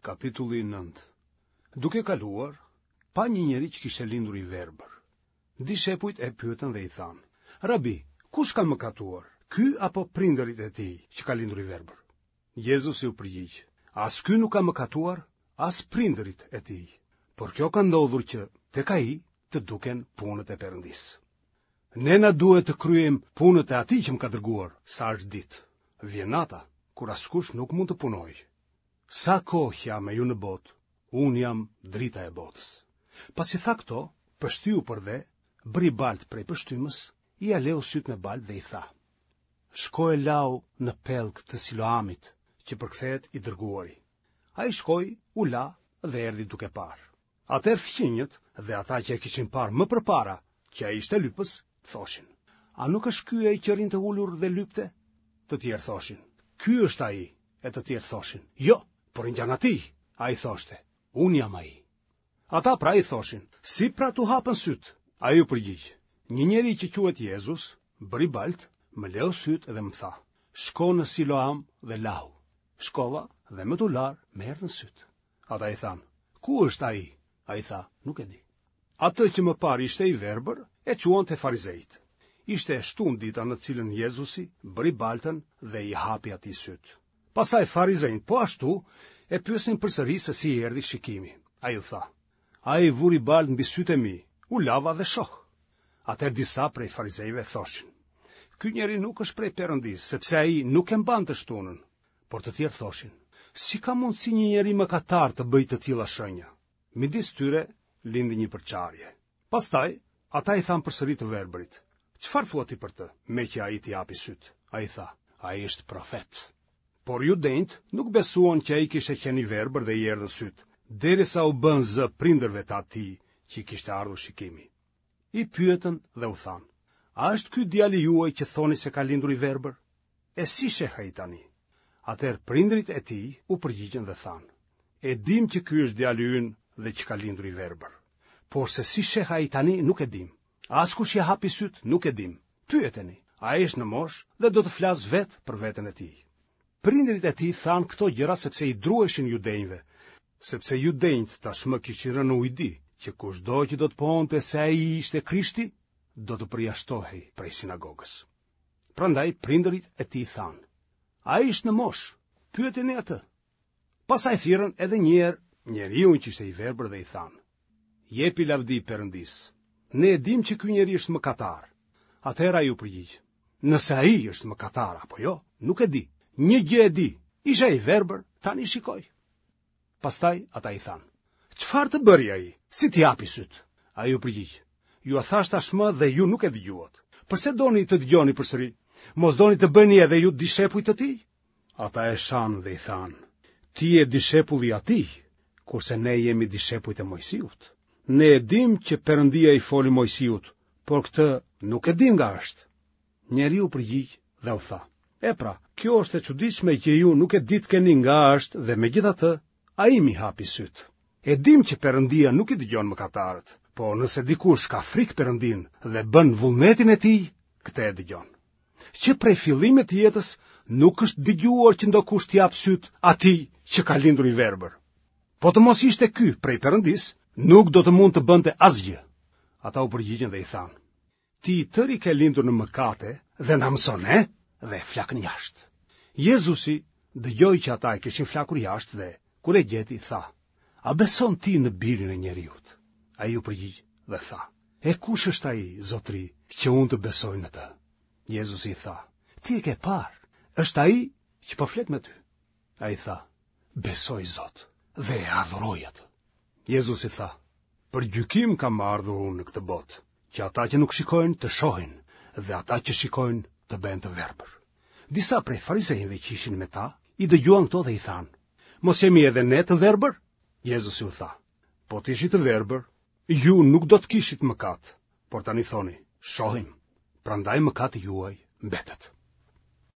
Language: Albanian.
Kapitulli 9 Duke kaluar, pa një njeri që kishte lindur i verbër. Dishepujt e pyetën dhe i thanë, Rabi, kush ka mëkatuar, ky apo prindërit e tij që ka lindur i verbër? Jezusi u përgjigj, As ky nuk ka mëkatuar, as prindërit e tij, por kjo ka ndodhur që tek ai të duken punët e Perëndisë. Ne na duhet të kryejmë punët e atij që më ka dërguar, sa është ditë. Vjen nata, kur askush nuk mund të punojë. Sa kohë që jam me ju në botë, unë jam drita e botës. Pasi tha këto, pështyu përdhe, bëri baltë prej pështymës, ia leu sytë me baltë dhe i tha: Shko e lahu në pellg të Siloamit, që përkthehet i dërguari. Ai shkoi, u la dhe erdhi duke parë. Atëherë fqinjët dhe ata që e kishin parë më përpara që ai ishte lypës, thoshin: A nuk është ky ai që rrinte ulur dhe lypte? Të tjerë thoshin: Ky është ai, e të tjerë thoshin: Jo, por i ngjan atij. Ai thoshte: Unë jam ai. Ata pra i thoshin: Si pra t'u hapën sytë? Ai u përgjigj: Një njeri që quhet Jezus, bëri baltë, më leu sytë dhe më tha: Shko në Siloam dhe lahu. Shkova dhe me t'u larë, më erdhën sytë. Ata i thanë, ku është ai? Ai tha, nuk e di. Atë që më parë ishte i verbër, e çuan te farizenjtë. Ishte e shtunë dita në të cilën Jezusi bëri baltën dhe i hapi atij sytë. Pastaj farizenjtë po ashtu e pyesnin përsëri se si i erdhi shikimi. Ai u tha, ai vuri baltë mbi sytë e mi, u lava dhe shoh. Atëherë disa prej farizenjve thoshin, ky njeri nuk është prej Perëndisë, sepse ai nuk e mban të shtunën. Por të tjerë thoshin, si ka mundësi një njeri mëkatar të bëjë të tilla shenja? Midis tyre lindi një përçarje. Pastaj, ata i thanë përsëri të verbërit, çfarë thua ti për të, meqë ai t'i hapi sytë? Ai tha, ai është profet. Por judenjtë nuk besuan që ai kishte qenë i verbër dhe i erdhën sytë, derisa u bënë zë prindërve të atij që i kishte ardhur shikimi. I pyetën dhe u thanë, a është ky djali juaj që thoni se ka lindur i verbër? E si sheh ai tani? Atëherë prindërit e tij u përgjigjën dhe thanë, E dimë që ky është djali ynë dhe që ka lindur i verbër. Por se si sheh ai tani nuk e dimë. As kush ia hapi sytë nuk e dimë. Pyeteni, ai është në moshë dhe do të flasë vetë për veten e tij. Prindërit e tij thanë këto gjëra sepse i druheshin judenjve, sepse judenjtë tashmë kishin rënë në ujdi, që kushdo që do të pohonte se ai ishte Krishti, do të përjashtohej prej sinagogës. Prandaj prindërit e tij thanë: Ai është në moshë, pyeteni atë. Pastaj thirrën edhe një herë njeriun që ishte i verbër dhe i thanë: Jepi lavdi Perëndisë. Ne e dimë që ky njeri është mëkatar. Atëherë ai u përgjigj: Nëse ai është mëkatar apo jo, nuk e di. Një gjë e di, isha i verbër, tani shikoj. Pastaj ata i thanë, Çfarë të bëri ai? Si t'i hapi sytë? Ai u përgjigj, Jua thashë tashmë dhe ju nuk e dëgjuat. Përse doni të dëgjoni përsëri? Mos doni të bëheni edhe ju dishepuj të tij? Ata e shanë dhe i thanë, Ti je dishepull i atij, kurse ne jemi dishepujt e Moisiut. Ne e dimë që Perëndia i foli Moisiut, por këtë nuk e dimë nga është. Njeriu u përgjigj dhe u tha, E pra, kjo është e çuditshme që ju nuk e ditkeni nga është dhe megjithatë, ai m'i hapi sytë. E dimë që Perëndia nuk i dëgjon mëkatarët, por nëse dikush ka frikë Perëndinë dhe bën vullnetin e tij, këtë e dëgjon. Që prej fillimit të jetës nuk është dëgjuar që ndokush t'i hapë sytë atij që ka lindur i verbër. Po të mos ishte ky prej Perëndisë, nuk do të mund të bënte asgjë. Ata u përgjigjën dhe i thanë, Ti i tëri ke lindur në mëkate dhe na mëson ne dhe e flakën jashtë. Jezusi dëgjoi që ata e kishin flakur jashtë dhe, kur e gjeti, tha, A beson ti në birin e njeriut? Ai u përgjigj dhe tha, E kush është ai, zotëri, që unë të besoj në të? Jezusi i tha, Ti e ke parë, është ai që po flet me ty. Ai tha, Besoj Zot, dhe e adhuroi atë. Jezusi tha, Për gjykim kam ardhur unë në këtë botë, që ata që nuk shikojnë të shohin dhe ata që shikojnë të bëhen të verbër. Disa prej farisenjve që ishin me ta, i dëgjuan këto dhe i thanë, Mos jemi edhe ne të verbër? Jezusi u tha, Po të ishit të verbër, ju nuk do të kishit mëkat, por tani thoni, shohim, prandaj mëkati juaj mbetet.